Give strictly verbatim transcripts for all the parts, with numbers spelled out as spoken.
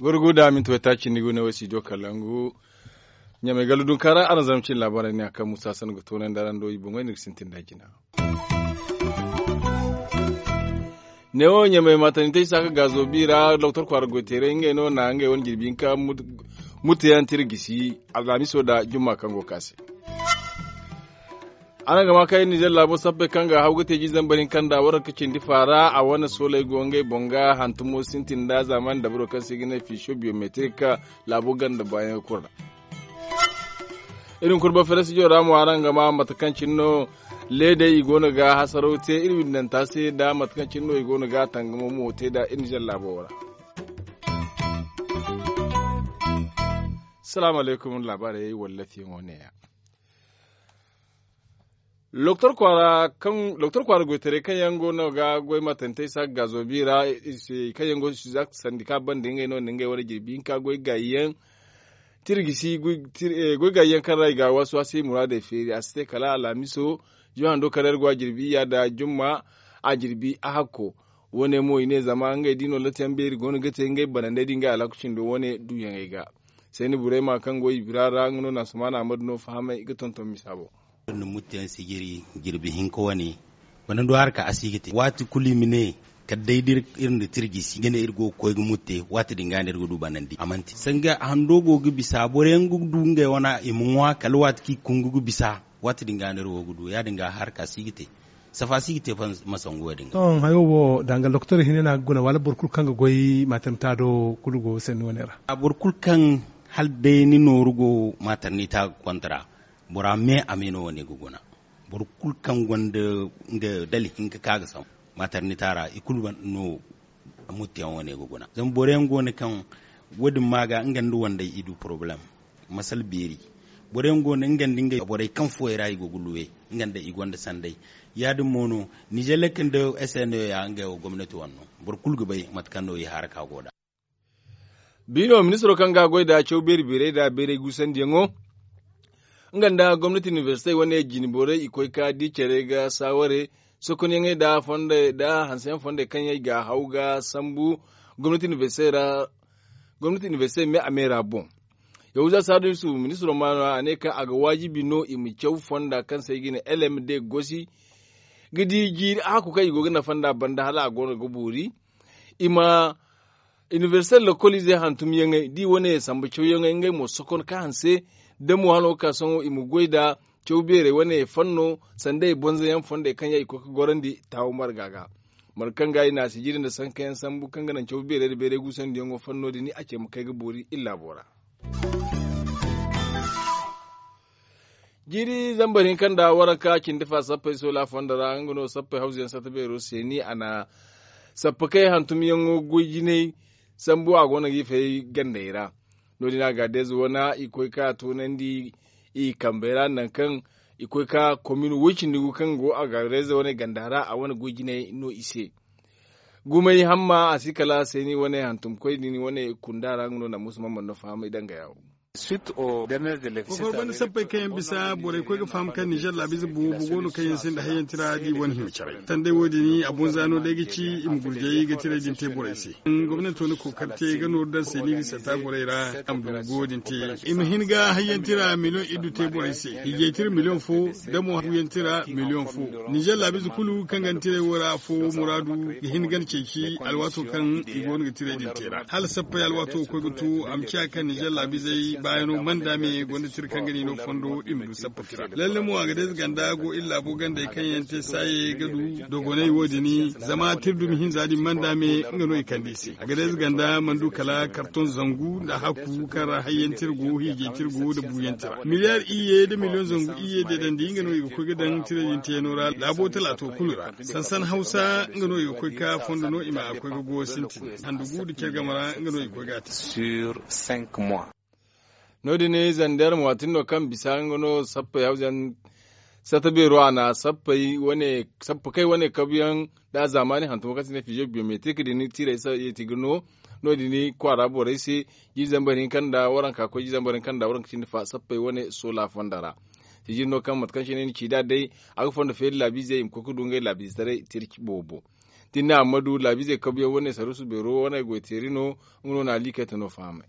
Gurgu da minti waytaaci ni gune wo studio kalangu. Ɲamay gallu dunkaara araŋ zama cine laabaarey ne a kaŋ musa sannu ga toonandi araŋ do i boŋey ni ga sintin da jina. Neewo ɲamay maatandi te isa ka gaazo bi ra doktor kwaara goyteeray ngey no na ngey wane jirbi hinka mutteyaŋ tira gisi alhamiso nda jumma kaŋ go ga ka se. Araŋ ga ma kay nizer laabo sappey kaŋ ga haw ga te jiizambar hinka nda waraka cindi faara a wane sooley go ngey boŋ ga hantumo sintin nda zaamaani dabaro kaŋ se i ga ne fiisiyo biyometrik. Laabo ganda baayaŋ ga kuru ra. Iri ma kulu ba fere studio ra mo araŋ ga ma mate kaŋ cine no leedey i go no ga hasaraw te iri windanta se nda mate kaŋ cine no i go no ga tangamo mo te nda iri nizer laabo wo ra. Salaamu alaykum laabaarey wallafiyaŋo ne- ya. Doktor kwaara goytaray kaŋ yaŋ go no ga goy matantey saaka gaazo bi ra i se kaŋ yaŋ go sandi ka banda ngey no nda ngey wane jirbi hinka goy gaayi yaŋ tira gisi goy gaayi yaŋ kaŋ ra i ga a waasi waasi muraadey feeri a si te kala alhamiso. Juma hando kaŋ ra iri go a jirbi iyya nda jumma a jirbi a hakko. Wane mo i ne zama ngey da i no latiyaŋ beeri go no ga te ngey banandey da ngey alhaku cindo wane duuyaŋey ga. Seeni burayma kaŋ go i bira ra nga no na sumaana ammadu no fahamay ga tonton misa boŋ. Iri na mutteyaŋ sijiri jirbi hinka wane. Bana du harka a si ga te waati kulu i ma ne kala day da iri nda tirji si ga ne iri go ga koy ga mutte waati din ga no iri ga du banandi a mana te sanga hando go ga bisa boro yaŋ ga du ngey wana i ma ŋwa kala waati kaŋ i kungu ga bisa. Waati din ga no iri go ga du ya- din ga harka si ga te. Safa si ga te ma sangu wo- din ga. Sohõ hayo wo danga doktor hinay no a ga guna wala boro kulu kaŋ ga goy maaternita do kulu go sanni wane ra. Boro kulu kaŋ hala day ni nooru go maaternita ga kontra bora me a me no wane ga guna. Boro kulu kaŋ gonda nga dala hinka ka ga sambu maaternita ra i kulu no. Mutteyaŋ wane ga guna zama boro yaŋ go no kaŋ wo- din ma ga nga nda wandey i du porobalem. Masala beeri boro yaŋ go no nga nda ngey borey kaŋ fuwey ra i go ga luwe nga nda i gonda sanday. Ya- din mo no nizer lek nda sno ya ngey wo gomnati wane no. Boro kulu ga bay mate kaŋ no i haraka go nd'a. Biino ministiro kaŋ ga a goy nda caw beeri beerey nda beerey guusandiyaŋo nga nda gomnati inibersite wane jine borey i koy ka di care ga saaware sokonyaŋey nda hanseyaŋ fondey kaŋ yaŋ i ga a haw ga sambu. Gomnati inibersite me a me ra boŋ. Yahuza saadu yusufu ministiro ma no a ne kaŋ a ga waajibi no i ma caw fonda kaŋ se i ga ne lmd gosi ga di jiiri a hakku kaŋ i go ga nafa nd'a banda hala a go no ga boori. I ma inibersite lokoliizey hantumyaŋey da i wane sambu cawyaŋey ngey mo sokon ka hanse. Da mo hano ga ka sohõ i ma goy nda caw beerey wane fanno sanda i bonzoyaŋ fondey kaŋ yaŋ i koy ga gorandi taawo marga ga. Marga kaŋ ga i na a sijiri nda sankayaŋ sambu kaŋ ga naŋ caw beerey nda beerey guusandiyaŋo fanno din a ce ma kay ga boori iri laabo ra. Jiiri zambar hinka nda waranka cindi fa sappey soola fondo ra nga no sappey hawzuyaŋ satta beero seeni a na sappakey hantumyaŋo goy jinay. Sambu a go no ga i fay gandey ra. No- din a ga deeze wane i koy ka toonandi i kambey ra nangu kaŋ i koy ka komin woy cindi gu kaŋ go a ga deeze wane ganda ra a wane goy jinay no i se. Gumay hamma a si kala seeni wane hantumkoy din wane kunda ra nga no na musu mamman no fahamay danga yawo. Kokoro banda sappey kaŋ yaŋ bisa borey koy ga faham kaŋ nizer laabize boobo go no kaŋ yaŋ sinda hayyantira da i wane hima caray sanday wo- din a bonza no day ga ci i ma gurjay ga tiray din te borey se. Gomnanto na kookari te ga nooru daŋ se ni ga sata gorey ra a ma du ga wo- din te. I ma hin ga hayyantira miliyoŋ iddu te borey se hijaytira miliyoŋ fo da mo hayyantira miliyoŋ fo. Nizer laabize kulu kaŋ ga ni tiray wo ra afo muraadu ga hin ga ni ceeci alwaato kaŋ i go no ga tiray din te ra hala sappey alwaato ga koy ga to a ma ciya kaŋ nizer laabizey baayano manda me gonda tira kaŋ ga ni no fondo i ma du sappa tira lalle mo a ga day za ganda go iri laabo gandey kaŋ yaŋ te saaye ga du dogonay wo- din zama tira dumi hinza din manda me nga no i kande i se a ga day za ganda mana du kala karton zangu nda hakku kaŋ ra hayyan tira go hiijay tira go nda buuyaŋ tira miliyar iyye nda miliyoŋ zangu iyye deedandi nga no i ga koy ga daŋ tira din teeno ra laabo talaato kulu ra. Sansan hawsa nga no i ga koy ka fondo no i ma a koy ga go sintin handu gu nda care game ra nga no i ga koy ga a te. No- din zander mo a tin no kaŋ bisa nga no sappey hawzayaŋ satta beero a na sappey wane kabuyaŋ nda zaamaani hantumo kaŋ se i ne fiizo biyometrik din tiirey se i ti ga no. No- din kwaara borey se. Jiiri zambar hinka nda waranka koy jiiri zambar hinka nda waranka cindi fa sappey wane soola fonda ra. Sijiri no kaŋ mate kaŋ se no ay na ci nd'a day, a ga fondo feeri laabiizey i ma koy ga du ngey laabiizetaray tirci boobo. Da ni ne a ma du laabiizey kabuyaŋ wane saruusu beero wane goyteeri no. Nga no na a liikay te no fahamay.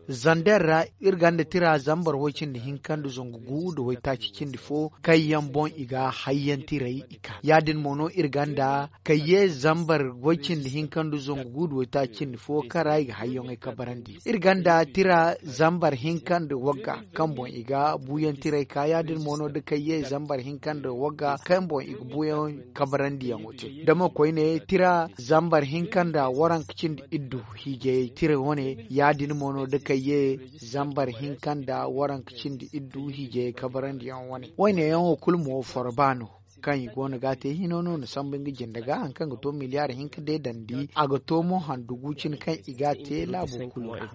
Zander ra, iri gonda tira zambar way cindi hinka nda zangu gu nda waytaaci cindi fo kaŋ yaŋ boŋ i ga hayyantiray i ka ya- din mo no iri gonda kayye zambar way cindi hinka nda zangu gu nda waytaaci cindi fo kaŋ ra i ga hayyaŋey kabarandi. Iri gonda tira zambar hinka nda wagga kaŋ boŋ i ga buuyantiray ka ya- din mo no da kayye zambar hinka nda wagga kaŋ boŋ i ga buuyaŋ kabarandiyaŋo te. Dama koyne tira zambar hinka nda waranka cindi iddu hiijayey tira wane ya- din mo no da kayye zambar hinka nda waranka cindi iddu hiijayey kabarandiyaŋ wane. Wayne yaŋo kulu mo forba no kaŋ i go no ga a te hino no na sambu nga jinde ga hari kaŋ ga to miliyaari hinka deedandi a ga to mo handu gu cine kaŋ i ga a te laabo kulu ra.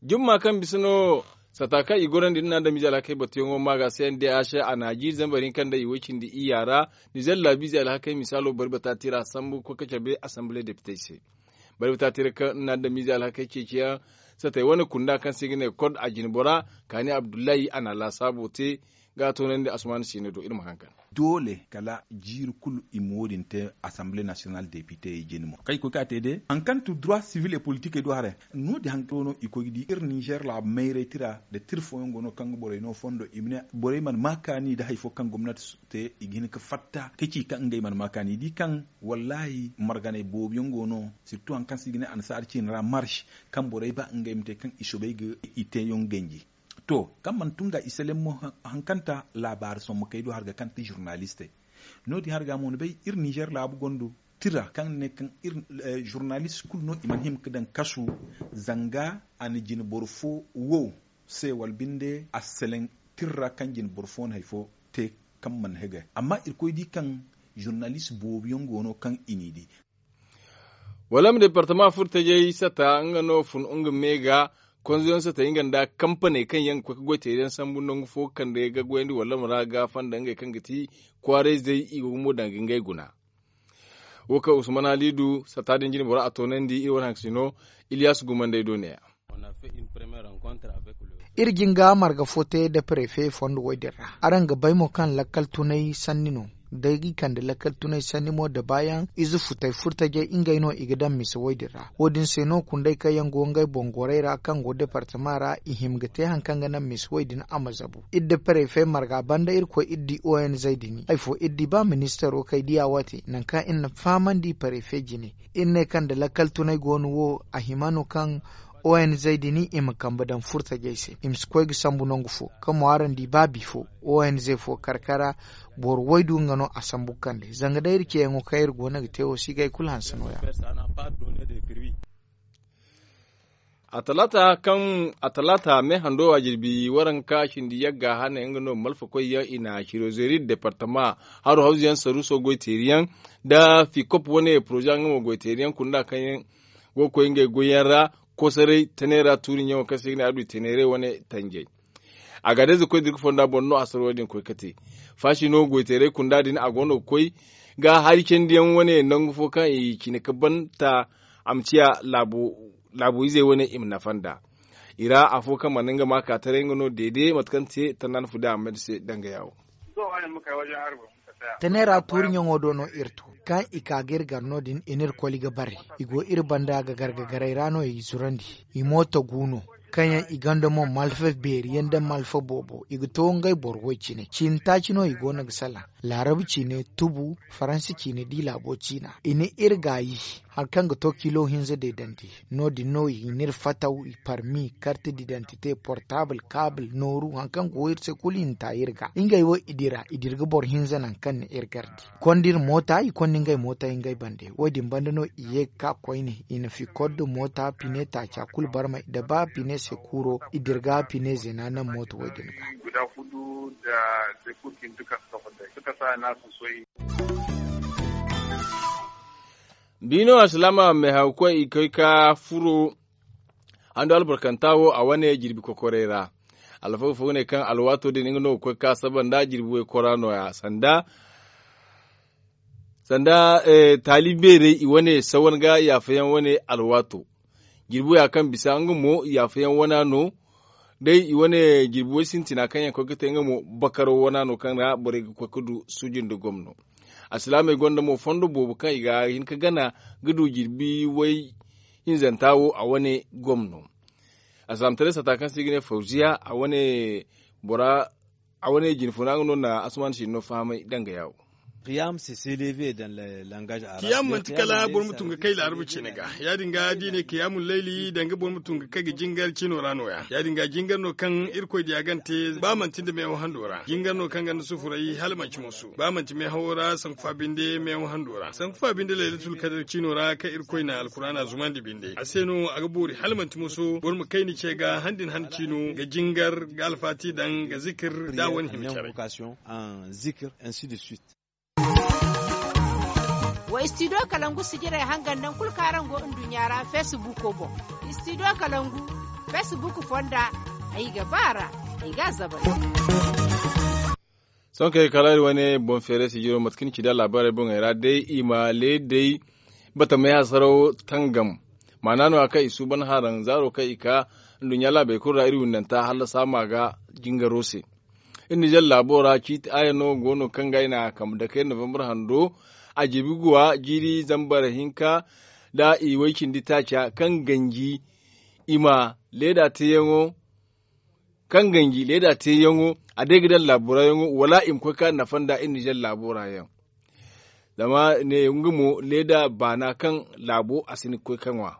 Jumma kaŋ bisa no sata kaŋ i gorandi nda na adamize alhakey batuyaŋo ma ga se n d h a na jiiri zambar hinka nda i way cindi iyya ra. Nizer laabiize alhakey misaalo bari bata tira sambu ga koy ga cabe asamble depitey se. Bari bata tira kaŋ nda na adamize alhakey ceeciyaŋ satey wane kunda kaŋ se i ga ne kod a jine bora kaani abdullahi a na laasaabo te ga a toonandi asumaana siino do iri ma haŋ kande. Doole kala jiiri kulu i ma wo- din te asamble nasiyonal depitey jine mo kaŋ i koy ga a te day hari kaŋ tu dura sivil e politikey do haray. No- din hari kaŋ no i koy ga di iri ninzeer laabu mayray tira nda tira fooyaŋ go no kaŋ ga borey no fondo i ma ne borey mana ma kaani nda hari fo kaŋ gomnati te i ga hin ga fatta ga ci kaŋ ngey mana ma kaani i di kaŋ wallaahi marganey boobo yaŋ go no sirtu hari kaŋ se i ga ne annasaara ciine ra marš kaŋ borey ba ngey ma te kaŋ i soobay ga i teeyaŋ ganji. To kaŋ mana tun ga i seleŋ mo hankanta laabaari sommo kay do hari ga kaŋ ti zurnalistey. No- din hari ga mo ni bay iri ninzeer laabu gonda tira kaŋ ne kaŋ iri zurnalist kulu no i mana hima ga daŋ kasu zanga a na jine boro fo wo se wala binde a seleŋ tira ra kaŋ jine boro fo no hari fo te kaŋ mana hegay amma irkoy di kaŋ zurnalist boobo yaŋ go no kaŋ i n'i di. Wala ma departama furo tajay sata nga no fun nga me ga konzoyaŋ sata nga nda kampaney kaŋ yaŋ ga koy ga goy teeri yaŋ sambu nangu fo ga kande ga goyandi wala ma ra ga fanda ngey kaŋ ga ti kwaarayzey i go ga mo daŋ ga ngey guna. Wo kaŋ usman halidu sata din jine boro a toonandi iri wane haŋ ga si no. Iliyas gumandey do ne ya. Iri jin ga marga fo te nda parefe fondo wo- din ra araŋ ga bay mo kaŋ lakkal tunay sanni no. Day ga i kande lakkal tunay sanni mo nda baayaŋ ize futay furtajey ngey no i ga daŋ mise wo- din ra wo- din se no kundey kaŋ yaŋ go ngey boŋ gorey ra kaŋ go departama ra i hima ga te hari kaŋ ga naŋ mise wo- din a ma zabu iri nda parefe marga banda iri koy iri di onz din hari fo iri di ba ministaro kay diya waate nangu kaŋ iri na fahamandi parefe jine. Iri ne kaŋ nda lakkal tunay go no wo a hima no kaŋ onz din i ma kambe daŋ furtajey se i ma si koy ga sambu nangu fo kaŋ mo araŋ di ba bifo onz fo karkara boro waydu nga no a sambu ga kande zanga day iri ceeyaŋo kaŋ iri go no ga te wo si ga hari kulu hanse no- ya. Atalaata kaŋ atalaata me hando a jirbi waranka cindi yagga hane nga no malfakoy yaŋ i na cirozeeri departama haro hawzu yaŋ saruuso goy teeri yaŋ nda fikop wane poroze nga mo goy teeri yaŋ kunda kaŋ yaŋ go ga koy ngey goy yaŋ ra kosoray teneera tuuri ɲaŋo kaŋ se i ga ne a du teneeray wane tanjay. A ga day za koy da iri ga fonda boŋ no a sara wo- din koy ga te faasi no goy teeray kunda din a go no ga koy ga hari candi yaŋ wane nangu fo kaŋ i cine ga banta a ma ciya laabo izey wane i ma nafa nd'a. I ra afo kaŋ mana nga ma ka taray nga no deede mate kaŋ te tanda na fu day a ma may nda se danga yaawo. Tane ra tuuri ɲaŋo do no iri to kaŋ i ka ga iri gar no- din i n'iri koli ga bare. I go iri banda ga gar ga garay ra no i zurandi. I moota gu no kaŋ yaŋ i gonda mo malfa beeri yaŋ nda malfa boobo i ga to ngey boro way cine ciini taaci no i go no ga salaŋ. Laarabu ciine tubu faransi ciine di laabo ciina i na iri gaayi. Hari kaŋ ga to kilo hinza deedandi no- din no i n'iri fataw i parmi karte didantite portaabul kaabul nooru hari kaŋ go iri se kulu i na ta iri ga ngey wo i dira i dira ga boro hinza nangu kaŋ na iri gardi. Konda iri moota i konda ngey moota ngey bande wo- din banda no i ye ga ka koyne i na fikor nda moota pine taaca kulu barmay nda ba pine se kuuro i dira ga pine zeena naŋ moota wo- din ga. Biino alsilaama meehaw koy i koy ka furo hando albarkanta wo a wane jirbi kokorey ra. Alfaga fo ga ne kaŋ alwaato din nga no ga koy ka saba nda jirbi waykora nooya sanda Sanda taali beerey i wane sawan ga yaafayaŋ wane alwaato. Jirbi wo ya kaŋ bisa nga mo yaafayaŋ wana no. Day i wane jirbi way sintina kaŋ yaŋ koy ga te nga mo bakaro wana no kaŋ ra borey ga koy ga du suuji nda gomno. Alsilaamey gonda mo fondo boobo kaŋ i ga hin ga gana ga du jirbi way hinzanta wo a wane gomno. Alsilaamataray sata kaŋ se i ga ne fawziya a wane bora a wane jinfuna nga no na asuman sinno fahamay danga yaawo. Kiyam manti kala boro ma tun ga kay laarabu cine ga. Ya- din ga da i ne kiyamun layli danga boro ma tun ga kay ga jingar cino ra no- ya ya- din ga jingar no kaŋ irkoy diya gante ba manti nda meewo hando ra jingar no kaŋ ganda sufuray hala manci moso ba manti meehawo ra sanku fa binde meewo hando ra sanku fa binde laylatul kadar cino ra kaŋ irkoy na alkuraana zumandi binde a se no a ga boori hala manti moso boro ma kay ni ce ga han din han cino ga jingar ga alfaati daŋ ga zikir da wane hima care. Wa istidiyo kalangu sijirey hangan daŋ kulu kaŋ araŋ go nduɲɲa ra feesibuuko boŋ. Istidiyo kalangu feesibuuko fonda ay ga ba a ra. Ay ga a zabari. Sohõ kay kala iri wane boŋ feeray sijiro mate kaŋ ni ci da laabaarey boŋey ra day i ma leedey batamey hasaraw tangam. Maana no- ya kaŋ i suuban haranzaaro kaŋ i ka nduɲɲa laabey kulu ra iri windanta hallasa ma ga jingaro se. Iri nizer laabo ra ciiti aya no go no kaŋ ga ay na a kambe dake novembre hando. A jiibi guwa jiiri zambar hinka nda i way cindi taaca kaŋ ganji i ma leeda teeyaŋo kaŋ ganji leeda teeyaŋo a day ga daŋ laabo ra yaŋo wala i ma koy ka nafa nda iri nizer laabo ra yaŋ. Zama ne nga mo leeda baana kaŋ laabo a si ni ga koy ka ŋwa.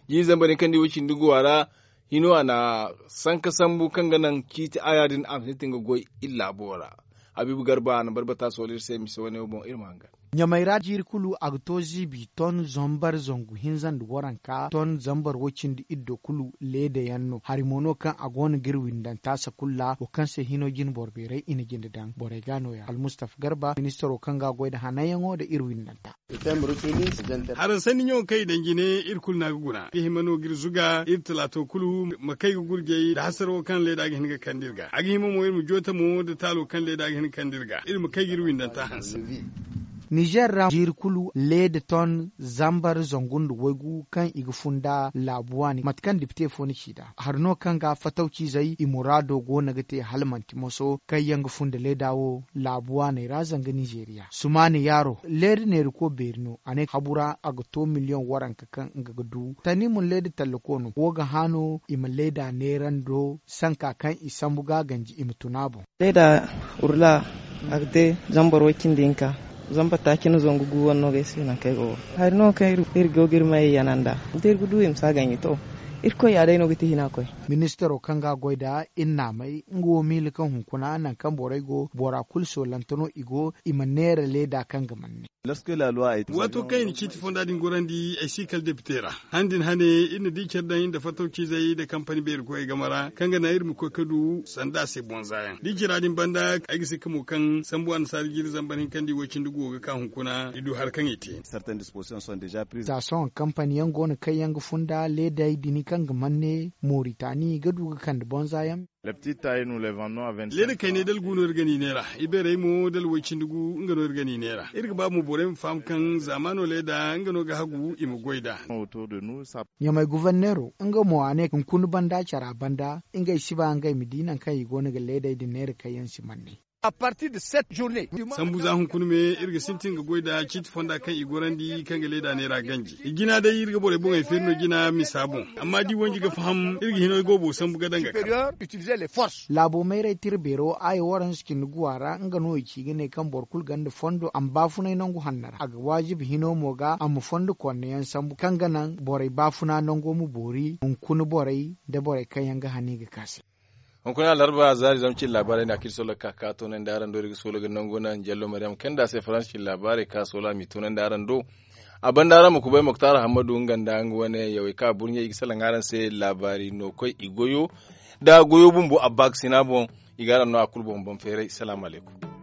Jiiri zambar hinka nda i way cindi guwa ra hino a na sanka sambu kaŋ ga naŋ ciiti aya din a ma sintin ga goy iri laabo ra. Habiibu garba a na barbata sohõ iri se mise wane wo boŋ iri ma hangan. Ɲamey ra jiiri kulu a ga to ziibi ton zambar zangu hinza nda waranka ton zambar way-cindi iddo kulu leeda yaŋ no hari mo no kaŋ a go no ga iri windanta sakulla wo kaŋ se hino jine boro beeray i na jinde daŋ borey ga no- ya almustafa garba ministaro kaŋ ga a goy nda hananyaŋo nda iri windanta. Haransanni ɲaŋo kaŋ i daŋ jine iri kulu no a ga guna ga hima no ga iri zuga iri talaato kulu ma kay ga gurjay nda hasaro kaŋ leeda ga hin ga kande iri ga a ga hima mo iri ma joota mo nda taalo kaŋ leeda ga hin ga kande iri ga iri ma kay ga iri windanta hanse. Nizer ra jiiri kulu leeda ton zambar zangu nda waygu kaŋ i ga funda laabu waani mate kaŋ dipite fo ni ci nd'a hari no kaŋ ga fatawciizey i muraado go no ga te hala manti moso kaŋ yaŋ ga funda leeda wo laabu waaney ra zanga nizeriya sumaani yaaro leeda neeriko beeri no a ne habu ra a ga to miliyoŋ waranka kaŋ nga ga du tani mo leeda tallako no wo ga hã no i ma leeda neerando sanka kaŋ i sambu ga ganji i ma tun a boŋ. Leeda urla a ga te zambar way cindi hinka zambar taaci na zangu gu wane no ga ay se nangu kaŋ ay go ga hari no kaŋ iri go ga iri mayey yana nd'a da iri ga du i ma si a ganji to irkoy ya day no ga ti hina koy. Ministaro kaŋ ga a goy nd'a iri n'a may nga wo miila kaŋ hunkuna nangu kaŋ borey go bora kulu soolante no i go i ma neera leeda kaŋ ga manne. Waato kaŋ i na ciiti fonda din gorandi ay si kala depite ra han din hane iri na di care daŋ iri nda fattaw ciizey nda kampani beeri koyey game ra kaŋ ga naŋ iri ma koy ga du sanda a se bonza yaŋ da i cira din banda ay ga sikka mo kaŋ sambu annasaara jiiri zambar hinka nda i way cindi guwo ga ka hunkuna i du hari kaŋ i te. Za sohõ kampani yaŋ go no kaŋ yaŋ ga funda leedey din kaŋ ga manne moritani ga du ga kande bonza yaŋ. Leeda kayney da algu no iri ga ni neera ibeerey mo da alway cindi gu nga no iri ga ni neera iri ga ba mo borey ma faham kaŋ zaamaano leeda nga no ga hagu i ma goy nd'a. Ɲamay guverneero nga mo a ne hunkuna banda cara banda ngey si ba ngey ma di nangu kaŋ i go no ga leedey din neera kaŋ yaŋ si manne. Sambu za hunkuna me iri ga sintin ga goy nda ciiti fonda kaŋ i gorandi kaŋ ga leeda neera ganji i jina day iri ga borey boŋey feeri no jina misa boŋ amma da i wanji ga faham iri ga hino ay goobo sambu ga daŋ ga kar. Laabo mayray tira beero aya waranza cindi guwa ra nga no i ci ga ne kaŋ boro kulu gonda fondo a ma baafunay nangu hanno ra a ga waajibi hino mo ga a ma fondo konne yaŋ sambu kaŋ ga naŋ borey baafuna nango ma boori hunkuna borey nda borey kaŋ yaŋ ga hani ga ka se. Hunkuna alarba zaari zama cin laabaarey nda a kaŋ iri solo ga ka ka toonandi araŋ do iri ga solo ga nangu naŋ jallo mariyam kaŋ nda a se faransa cin laabaarey ka solo a m'i toonandi araŋ do. A banda araŋ ma kubay moktar hammadu nga nda nga wane yawey kaŋ a burɲey i ga salaŋ araŋ se laabaari no koy i goyo nda goyo bumbo a baakasina boŋ. I ga araŋ no a kulu boŋ boŋ feeray salaamu alaykum.